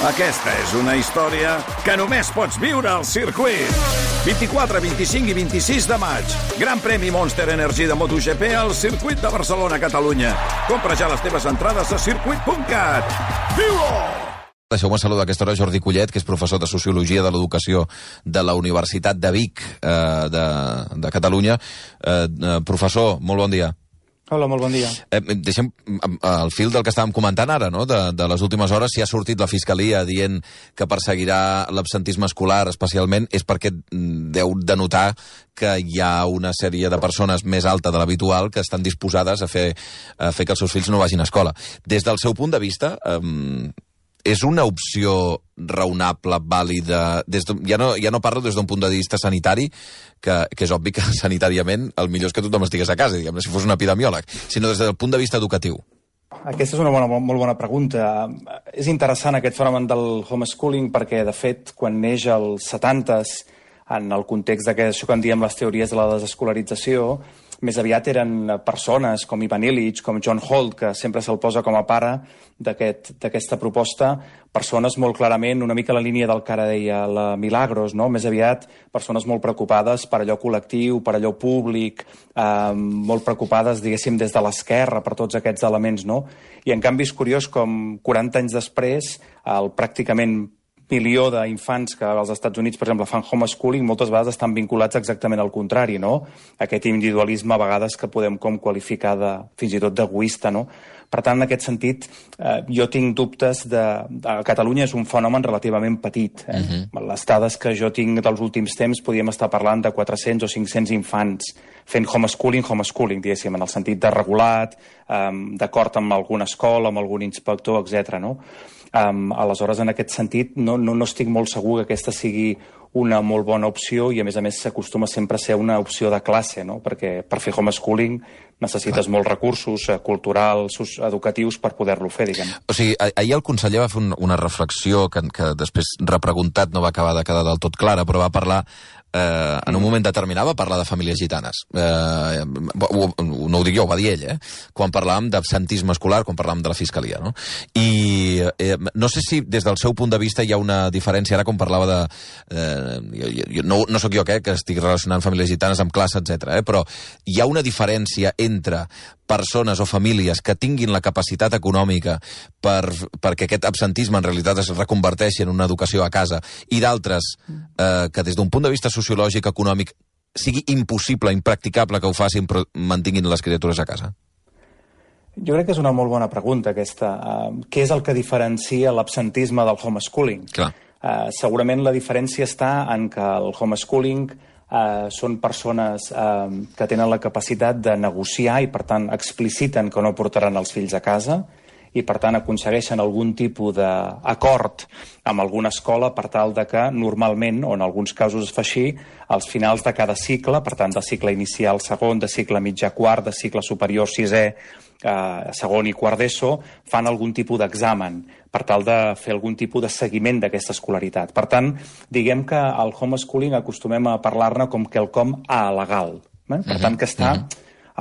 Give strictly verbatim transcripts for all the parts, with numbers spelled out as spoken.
Aquesta és una història que només pots viure al circuit. vint-i-quatre, vint-i-cinc i vint-i-sis de maig. Gran premi Monster Energy de MotoGP al circuit de Barcelona, Catalunya. Compra ja les teves entrades a circuit punt cat. Viu-ho! Deixeu-me saludar a aquesta hora Jordi Collet, que és professor de Sociologia de l'Educació de la Universitat de Vic, eh, de, de Catalunya. Eh, eh, professor, molt bon dia. Hola, molt bon dia. Eh, deixem el fil del que estàvem comentant ara, no? de, de les últimes hores. Si ha sortit la Fiscalia dient que perseguirà l'absentisme escolar especialment, és perquè deu denotar que hi ha una sèrie de persones més alta de l'habitual que estan disposades a fer, a fer que els seus fills no vagin a escola. Des del seu punt de vista, eh, és una opció raonable, vàlida, des de, ja, no, ja no parlo des d'un punt de vista sanitari, que, que és obvi que sanitàriament el millor és que tothom estigués a casa, diguem, si fos un epidemiòleg, sinó des del punt de vista educatiu. Aquesta és una bona, molt bona pregunta. És interessant aquest fenomen del homeschooling perquè, de fet, quan neix als setantes, en el context d'aquest que en diem les teories de la desescolarització, més aviat eren persones com Ivan Illich, com John Holt, que sempre se'l posa com a pare d'aquesta aquest, proposta, persones molt clarament, una mica la línia del que ara deia la Milagros, no? Més aviat persones molt preocupades per allò col·lectiu, per allò públic, eh, molt preocupades, diguéssim, des de l'esquerra per tots aquests elements, no? I en canvi és curiós com quaranta anys després, el pràcticament milió d'infants que als Estats Units, per exemple, fan homeschooling, moltes vegades estan vinculats exactament al contrari, no? Aquest individualisme, a vegades, que podem com qualificar de, fins i tot d'egoista, no? Per tant, en aquest sentit, eh, jo tinc dubtes de... A Catalunya és un fenomen relativament petit. Eh? Uh-huh. Les dades que jo tinc dels últims temps podríem estar parlant de quatre-cents o cinc-cents infants fent homeschooling, homeschooling, diguéssim, en el sentit de regulat, eh, d'acord amb alguna escola, amb algun inspector, etcètera, no? Um, aleshores, en aquest sentit, no, no, no estic molt segur que aquesta sigui una molt bona opció i, a més a més, s'acostuma sempre a ser una opció de classe, no? Perquè per fer homeschooling necessites molts recursos eh, culturals, educatius, per poder-lo fer, diguem. O sigui, ahir el conseller va fer un, una reflexió que, que després, repreguntat, no va acabar de quedar del tot clara, però va parlar Eh, en un moment determinat va parlar de famílies gitanes. Eh, ho, no ho dic jo, ho va dir ell, eh? Quan parlàvem d'absentisme escolar, quan parlàvem de la Fiscalia, no? I eh, no sé si des del seu punt de vista hi ha una diferència, ara com parlava de... Eh, jo, jo, no, no sóc jo que, que estic relacionant famílies gitanes amb classe, etcètera, eh? Però hi ha una diferència entre persones o famílies que tinguin la capacitat econòmica per, perquè aquest absentisme en realitat es reconverteixi en una educació a casa, i d'altres eh, que des d'un punt de vista sociològic, econòmic, sigui impossible, impracticable que ho facin però mantinguin les criatures a casa? Jo crec que és una molt bona pregunta, aquesta. Uh, què és el que diferencia l'absentisme del homeschooling? Clar. Uh, segurament la diferència està en que el homeschooling Uh, són persones uh, que tenen la capacitat de negociar i, per tant, expliciten que no portaran els fills a casa i, per tant, aconsegueixen algun tipus d'acord amb alguna escola per tal de que, normalment, o en alguns casos es fa així, als finals de cada cicle, per tant, de cicle inicial segon, de cicle mitjà quart, de cicle superior sisè, eh, segon i quart d'ESO, fan algun tipus d'examen per tal de fer algun tipus de seguiment d'aquesta escolaritat. Per tant, diguem que al homeschooling acostumem a parlar-ne com quelcom alegal. Eh? Per tant, que està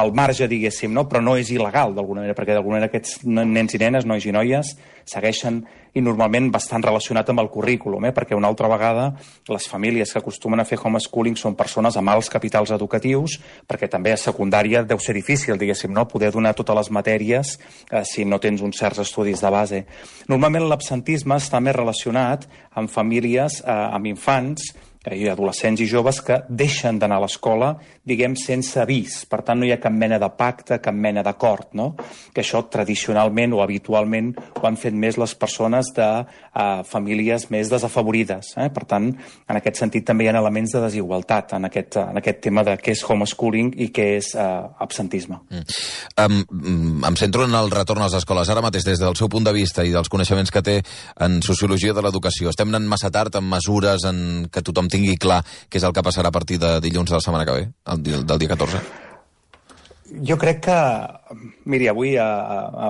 al marge, diguéssim, no? Però no és il·legal, d'alguna manera, perquè d'alguna manera aquests nens i nenes, nois i noies, segueixen i normalment bastant relacionat amb el currículum, eh? Perquè una altra vegada les famílies que acostumen a fer homeschooling són persones amb alts capitals educatius, perquè també a secundària deu ser difícil, diguéssim, no? Poder donar totes les matèries eh, si no tens uns certs estudis de base. Normalment l'absentisme està més relacionat amb famílies, eh, amb infants, i adolescents i joves que deixen d'anar a l'escola, diguem, sense avís. Per tant, no hi ha cap mena de pacte, cap mena d'acord, no? Que això tradicionalment o habitualment ho han fet més les persones de uh, famílies més desafavorides. Eh? Per tant, en aquest sentit també hi ha elements de desigualtat en aquest, en aquest tema de què és homeschooling i què és uh, absentisme. Mm. Um, em centro en el retorn a les escoles. Ara mateix, des del seu punt de vista i dels coneixements que té en sociologia de l'educació, estem anant massa tard en mesures en què tothom tingui clar què és el que passarà a partir de dilluns de la setmana que ve, el dia, del dia catorze? Jo crec que, miri, avui a, a, a,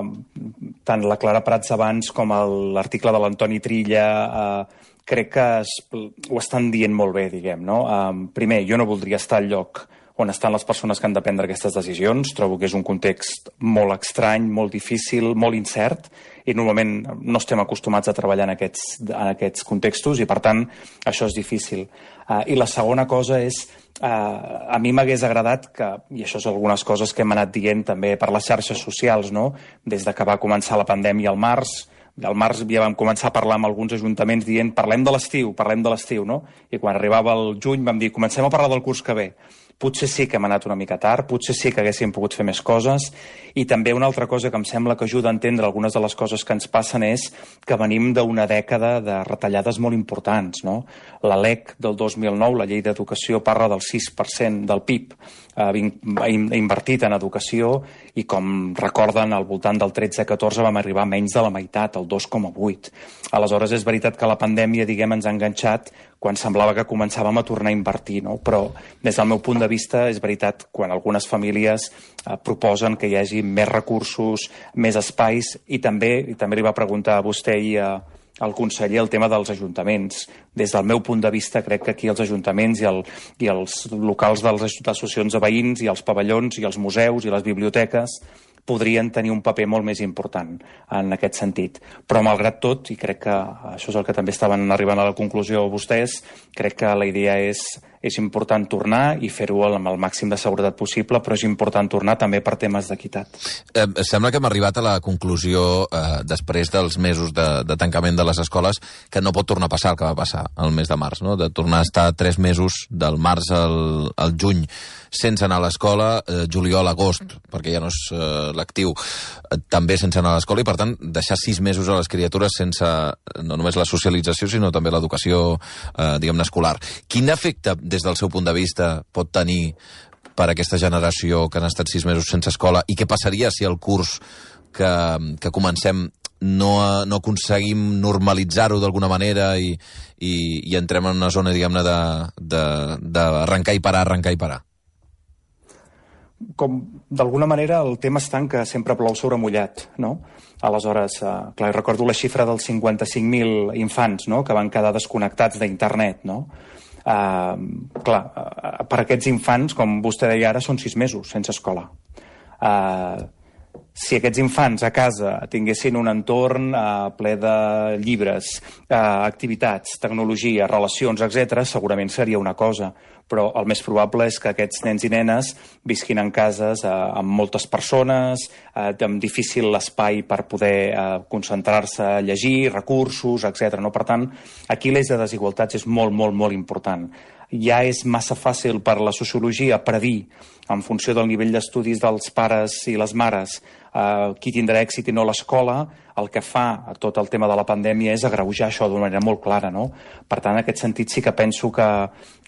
tant la Clara Prats abans com l'article de l'Antoni Trilla eh, crec que es, ho estan dient molt bé, diguem, no? Um, primer, jo no voldria estar al lloc on estan les persones que han de prendre aquestes decisions. Trobo que és un context molt estrany, molt difícil, molt incert, i normalment no estem acostumats a treballar en aquests, en aquests contextos, i per tant això és difícil. Uh, I la segona cosa és, uh, a mi m'hagués agradat que, i això és algunes coses que hem anat dient també per les xarxes socials, no? Des de que va començar la pandèmia al març, al març ja vam començar a parlar amb alguns ajuntaments dient parlem de l'estiu, parlem de l'estiu, no? I quan arribava el juny vam dir comencem a parlar del curs que ve. Potser sí que hem anat una mica tard, potser sí que haguéssim pogut fer més coses, i també una altra cosa que em sembla que ajuda a entendre algunes de les coses que ens passen és que venim d'una dècada de retallades molt importants, no? La L E C del dos mil nou, la Llei d'Educació, parla del sis per cent del P I B eh, invertit en educació, i com recorden, al voltant del tretze catorze vam arribar a menys de la meitat, el dos coma vuit. Aleshores, és veritat que la pandèmia, diguem, ens ha enganxat quan semblava que començàvem a tornar a invertir, no? Però des del meu punt de vista és veritat quan algunes famílies eh, proposen que hi hagi més recursos, més espais, i també, i també li va preguntar a vostè i a, al conseller el tema dels ajuntaments. Des del meu punt de vista crec que aquí els ajuntaments i, el, i els locals de les associacions de veïns i els pavellons i els museus i les biblioteques podrien tenir un paper molt més important en aquest sentit. Però, malgrat tot, i crec que això és el que també estaven arribant a la conclusió vostès, crec que la idea és, és important tornar i fer-ho amb el màxim de seguretat possible, però és important tornar també per temes d'equitat. Eh, sembla que hem arribat a la conclusió, eh, després dels mesos de, de tancament de les escoles, que no pot tornar a passar el que va passar el mes de març, no? De tornar a estar tres mesos, del març al, al juny, sense anar a l'escola, eh, juliol, agost, perquè ja no és eh, l'actiu, eh, també sense anar a l'escola, i per tant deixar sis mesos a les criatures sense no només la socialització, sinó també l'educació, eh, diguem-ne, escolar. Quin efecte, des del seu punt de vista, pot tenir per a aquesta generació que han estat sis mesos sense escola, i què passaria si el curs que, que comencem no, no aconseguim normalitzar-ho d'alguna manera i, i, i entrem en una zona, diguem-ne, d'arrencar i parar, arrencar i parar? Com d'alguna manera el tema està en que sempre plou sobre mullat, no? Aleshores, eh, clar, recordo la xifra dels cinquanta-cinc mil infants, no?, que van quedar desconnectats d'internet, no? Eh, clar, eh, per aquests infants, com vostè deia ara, són sis mesos sense escola. Eh, si aquests infants a casa tinguessin un entorn eh, ple de llibres, eh, activitats, tecnologia, relacions, etcètera, segurament seria una cosa, però el més probable és que aquests nens i nenes visquin en cases eh, amb moltes persones, eh, amb difícil espai per poder eh, concentrar-se a llegir, recursos, etcètera. No? Per tant, aquí l'eix de desigualtats és molt, molt, molt important. Ja és massa fàcil per la sociologia predir, en funció del nivell d'estudis dels pares i les mares, eh, qui tindrà èxit i no l'escola. El que fa a tot el tema de la pandèmia és agreujar això d'una manera molt clara, no? Per tant, en aquest sentit sí que penso que,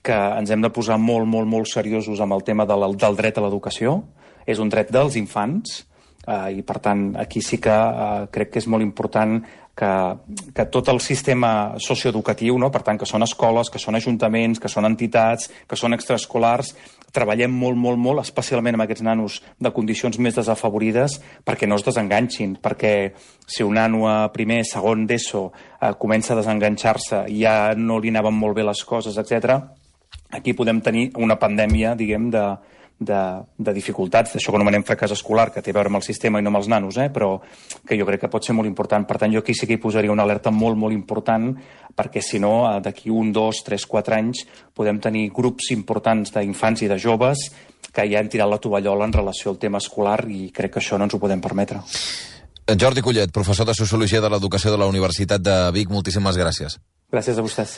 que ens hem de posar molt, molt, molt seriosos amb el tema de la, del dret a l'educació. És un dret dels infants, eh, i per tant aquí sí que eh, crec que és molt important que, que tot el sistema socioeducatiu, no? Per tant, que són escoles, que són ajuntaments, que són entitats, que són extraescolars, treballem molt, molt, molt, especialment amb aquests nanos de condicions més desafavorides, perquè no es desenganxin, perquè si un nano a primer, segon d'ESO eh, comença a desenganxar-se i ja no li anaven molt bé les coses, etcètera, aquí podem tenir una pandèmia, diguem, de, de, de dificultats, d'això que anomenem fracàs escolar, que té a veure amb el sistema i no amb els nanos, eh? Però que jo crec que pot ser molt important. Per tant, jo aquí sí que hi posaria una alerta molt, molt important, perquè si no, d'aquí un, dos, tres, quatre anys podem tenir grups importants d'infants i de joves que ja han tirat la tovallola en relació al tema escolar, i crec que això no ens ho podem permetre. Jordi Collet, professor de Sociologia de l'Educació de la Universitat de Vic, moltíssimes gràcies. Gràcies a vostès.